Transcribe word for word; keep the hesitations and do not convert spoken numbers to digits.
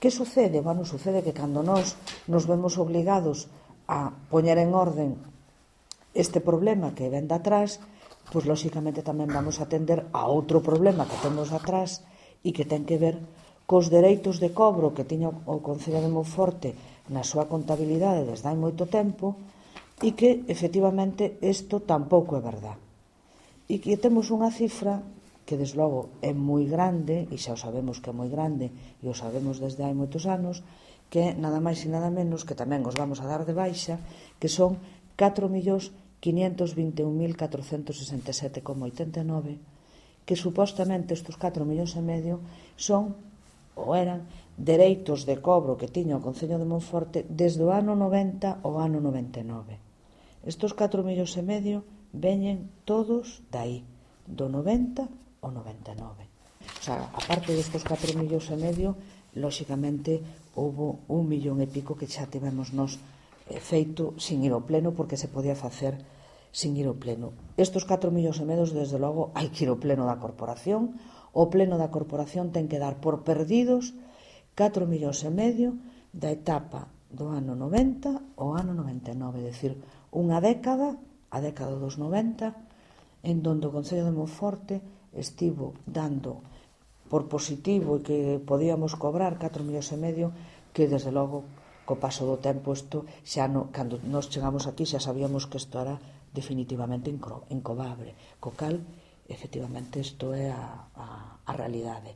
Que sucede? Bueno, sucede que cando nós nos vemos obligados a poñer en orden este problema que ven de atrás, pois lóxicamente tamén vamos a atender a outro problema que temos atrás e que ten que ver cos dereitos de cobro que tiña o Concello de Monforte na súa contabilidade desde hai moito tempo e que, efectivamente, isto tampouco é verdad. E que temos unha cifra que, desde logo, é moi grande, e xa o sabemos que é moi grande, e o sabemos desde hai moitos anos, que é nada máis e nada menos, que tamén os vamos a dar de baixa, que son catro millóns quinientos vinte e un mil catrocentos sesenta e sete coma oitenta e nove, que supostamente estes catro millóns e medio son, ou eran, dereitos de cobro que tiña o Concello de Monforte desde o ano noventa ao ano noventa e nove. Estes catro millóns e medio veñen todos dai, do noventa ao noventa e nove. O sea, a parte destes catro millóns e medio, lóxicamente, houve un millón e pico que xa tivemos nos feito sin ir ao pleno, porque se podía facer sin ir ao pleno. Estes catro millóns e medio, desde logo, hai que ir ao pleno da corporación. O pleno da corporación ten que dar por perdidos catro millóns e medio da etapa do ano noventa ao ano noventa e nove, é dicir, unha década, a década dos noventa, en donde o Concello de Monforte estivo dando por positivo e que podíamos cobrar catro millóns e medio, que desde logo co paso do tempo isto xa no, cando nos chegamos aquí xa sabíamos que isto era definitivamente incobrable, co cal efectivamente isto é a, a, a realidade.